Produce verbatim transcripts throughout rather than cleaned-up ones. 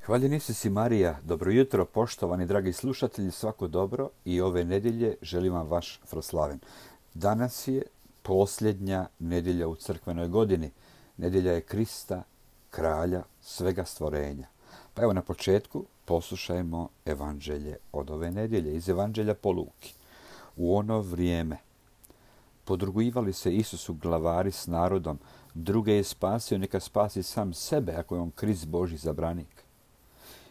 Hvaljen Isus i Marija, dobro jutro, poštovani dragi slušatelji, svako dobro i ove nedjelje želim vam vaš Froslaven. Danas je posljednja nedjelja u crkvenoj godini. Nedjelja je Krista, kralja svega stvorenja. Pa evo na početku poslušajmo evanđelje od ove nedjelje, iz evanđelja po Luki. U ono vrijeme podrugivali se Isusu glavari s narodom, druge je spasio, neka spasi sam sebe ako je on Krist Božji zabranik.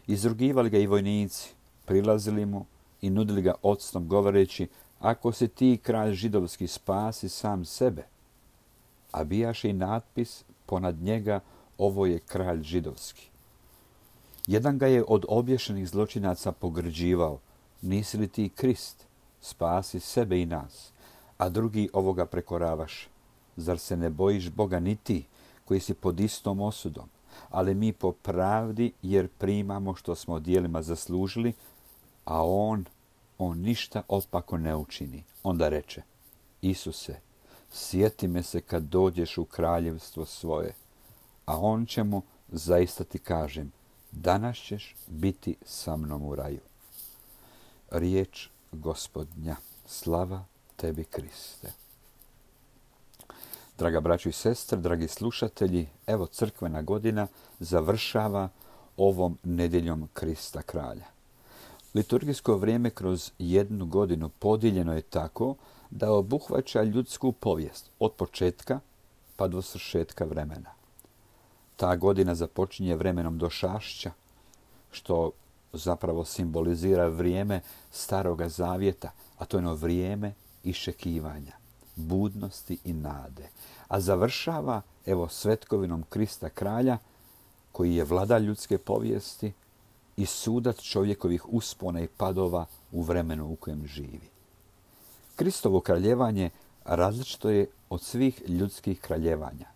Izrugivali ga i vojnici, prilazili mu i nudili ga octom govoreći: ako si ti kralj židovski, spasi sam sebe. A bijaše i natpis ponad njega: ovo je kralj židovski. Jedan ga je od obješenih zločinaca pogrđivao: nisi li ti Krist, spasi sebe i nas. A drugi ovoga prekoravaše: zar se ne bojiš Boga ni ti, koji si pod istom osudom? Ali mi po pravdi, jer primamo što smo djelima zaslužili, a on, on ništa opako ne učini. Onda reče: Isuse, sjeti me se kad dođeš u kraljevstvo svoje. A on će mu: zaista ti kažem, danas ćeš biti sa mnom u raju. Riječ Gospodnja. Slava tebi, Kriste. Draga braćo i sestre, dragi slušatelji, evo crkvena godina završava ovom nedjeljom Krista kralja. Liturgijsko vrijeme kroz jednu godinu podijeljeno je tako da obuhvaća ljudsku povijest od početka pa do svršetka vremena. Ta godina započinje vremenom došašća, što zapravo simbolizira vrijeme Staroga Zavjeta, a to je ono vrijeme iščekivanja, budnosti i nade. A završava evo svetkovinom Krista kralja, koji je vladar ljudske povijesti i sudac čovjekovih uspona i padova u vremenu u kojem živi. Kristovo kraljevanje različito je od svih ljudskih kraljevanja.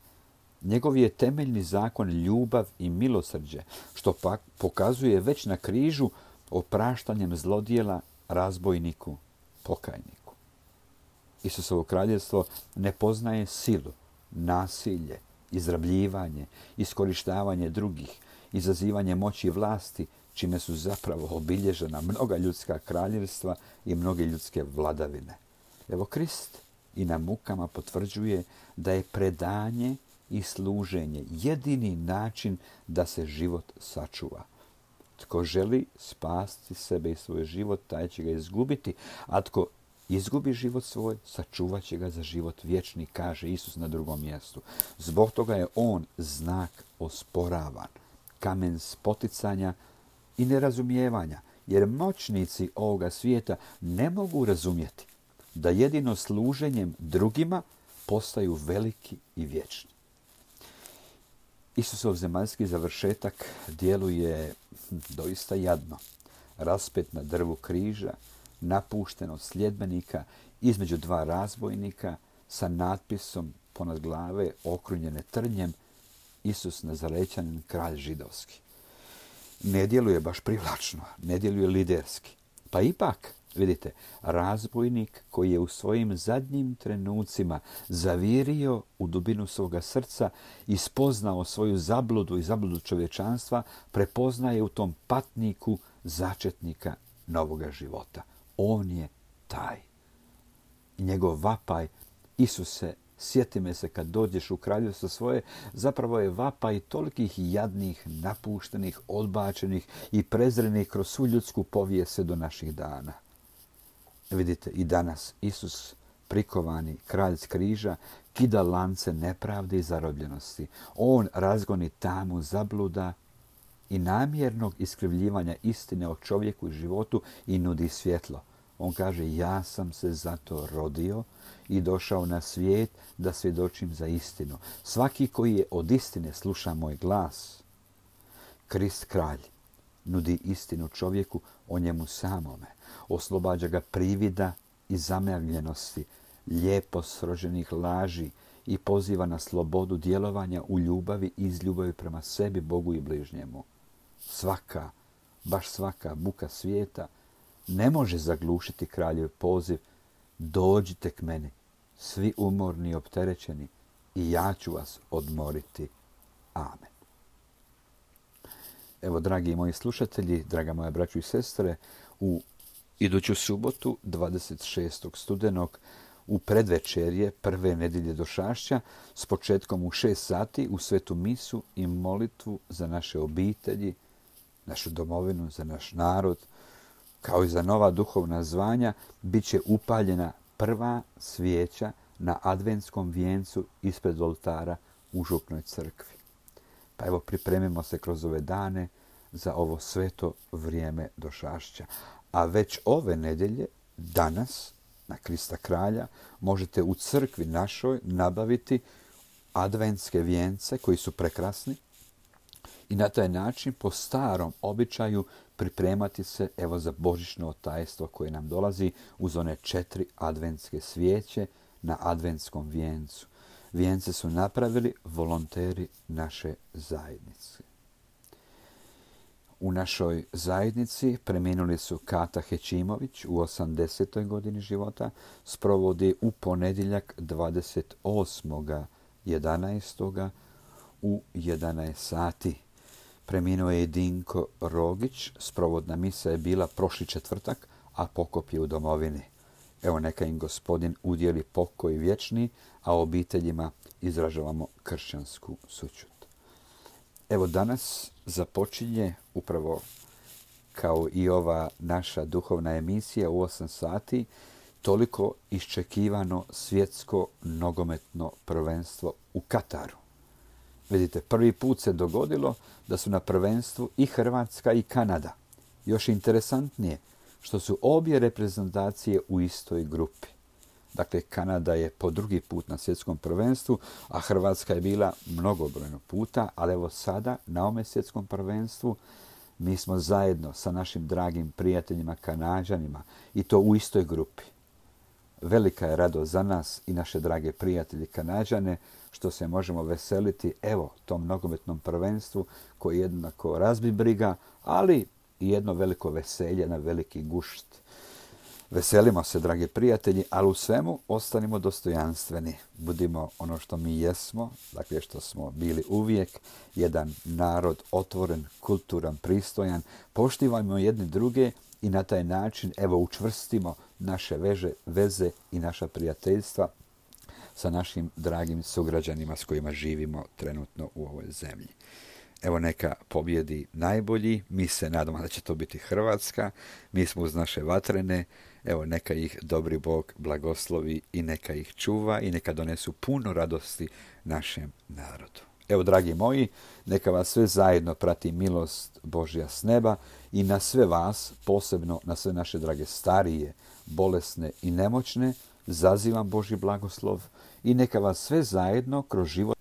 Njegov je temeljni zakon ljubav i milosrđe, što pak pokazuje već na križu opraštanjem zlodjela razbojniku, pokajniku. Isusovo kraljevstvo ne poznaje silu, nasilje, izrabljivanje, iskorištavanje drugih, izazivanje moći i vlasti, čime su zapravo obilježena mnoga ljudska kraljevstva i mnoge ljudske vladavine. Evo Krist i na mukama potvrđuje da je predanje i služenje jedini način da se život sačuva. Tko želi spasti sebe i svoj život, taj će ga izgubiti, a tko izgubi život svoj, sačuvat će ga za život vječni, kaže Isus na drugom mjestu. Zbog toga je on znak osporavan, kamen spoticanja i nerazumijevanja, jer moćnici ovoga svijeta ne mogu razumjeti da jedino služenjem drugima postaju veliki i vječni. Isusov zemaljski završetak djeluje doista jadno. Raspet na drvu križa, napušten od sljedbenika, između dva razbojnika, sa natpisom ponad glave okrunjene trnjem: Isus Nazarećanin, kralj židovski. Ne djeluje baš privlačno, ne djeluje liderski. Pa ipak, vidite, razbojnik koji je u svojim zadnjim trenucima zavirio u dubinu svoga srca i spoznao svoju zabludu i zabludu čovječanstva, prepoznaje u tom patniku začetnika novoga života. On je taj. I njegov vapaj: Isuse, sjeti me se kad dođeš u kraljevstvo svoje, zapravo je vapaj tolikih jadnih, napuštenih, odbačenih i prezrenih kroz svu ljudsku povijest do naših dana. Vidite, i danas Isus, prikovani kralj s križa, kida lance nepravde i zarobljenosti. On razgoni tamu zabluda i namjernog iskrivljivanja istine o čovjeku i životu i nudi svjetlo. On kaže: ja sam se zato rodio i došao na svijet da svjedočim za istinu. Svaki koji je od istine sluša moj glas. Krist kralj nudi istinu čovjeku o njemu samome. Oslobađa ga privida i zamagljenosti, lijepo sroženih laži i poziva na slobodu djelovanja u ljubavi i iz ljubavi prema sebi, Bogu i bližnjemu. Svaka, baš svaka buka svijeta ne može zaglušiti kraljev poziv: dođite k meni, svi umorni i opterećeni, i ja ću vas odmoriti. Amen. Evo, dragi moji slušatelji, draga moja braćo i sestre, u iduću subotu, dvadeset šestog studenog, u predvečerje prve nedjelje Došašća, s početkom u šest sati u svetu misu i molitvu za naše obitelji, našu domovinu, za naš narod, kao i za nova duhovna zvanja, bit će upaljena prva svijeća na adventskom vijencu ispred oltara u župnoj crkvi. Pa evo, pripremimo se kroz ove dane za ovo sveto vrijeme Došašća. A već ove nedjelje, danas, na Krista kralja, možete u crkvi našoj nabaviti adventske vijence koji su prekrasni i na taj način po starom običaju pripremati se evo za božićno tajstvo koje nam dolazi uz one četiri adventske svijeće na adventskom vijencu. Vijence su napravili volonteri naše zajednice. U našoj zajednici preminuli su Kata Hećimović u osamdesetoj godini života, sprovodi u ponedjeljak dvadeset osmog jedanaestoga u jedanaest sati. Preminuo je Dinko Rogić, sprovodna misa je bila prošli četvrtak, a pokop je u domovini. Evo, neka im Gospodin udjeli pokoj vječni, a obiteljima izražavamo kršćansku sućut. Evo, danas započinje upravo kao i ova naša duhovna emisija u osam sati toliko iščekivano svjetsko nogometno prvenstvo u Kataru. Vidite, prvi put se dogodilo da su na prvenstvu i Hrvatska i Kanada. Još interesantnije što su obje reprezentacije u istoj grupi. Dakle, Kanada je po drugi put na svjetskom prvenstvu, a Hrvatska je bila mnogobrojno puta, ali evo sada na ovome svjetskom prvenstvu mi smo zajedno sa našim dragim prijateljima Kanađanima i to u istoj grupi. Velika je radost za nas i naše drage prijatelje Kanađane što se možemo veseliti evo tom nogometnom prvenstvu koji jednako razbi briga, ali i jedno veliko veselje na veliki gušt. Veselimo se, dragi prijatelji, ali u svemu ostanimo dostojanstveni. Budimo ono što mi jesmo, dakle što smo bili uvijek, jedan narod otvoren, kulturan, pristojan. Poštivajmo jedni druge i na taj način evo učvrstimo naše veže, veze i naša prijateljstva sa našim dragim sugrađanima s kojima živimo trenutno u ovoj zemlji. Evo, neka pobjedi najbolji, mi se nadamo da će to biti Hrvatska, mi smo uz naše vatrene, evo neka ih dobri Bog blagoslovi i neka ih čuva i neka donesu puno radosti našem narodu. Evo, dragi moji, neka vas sve zajedno prati milost Božja s neba i na sve vas, posebno na sve naše drage starije, bolesne i nemoćne, zazivam Božji blagoslov i neka vas sve zajedno kroz život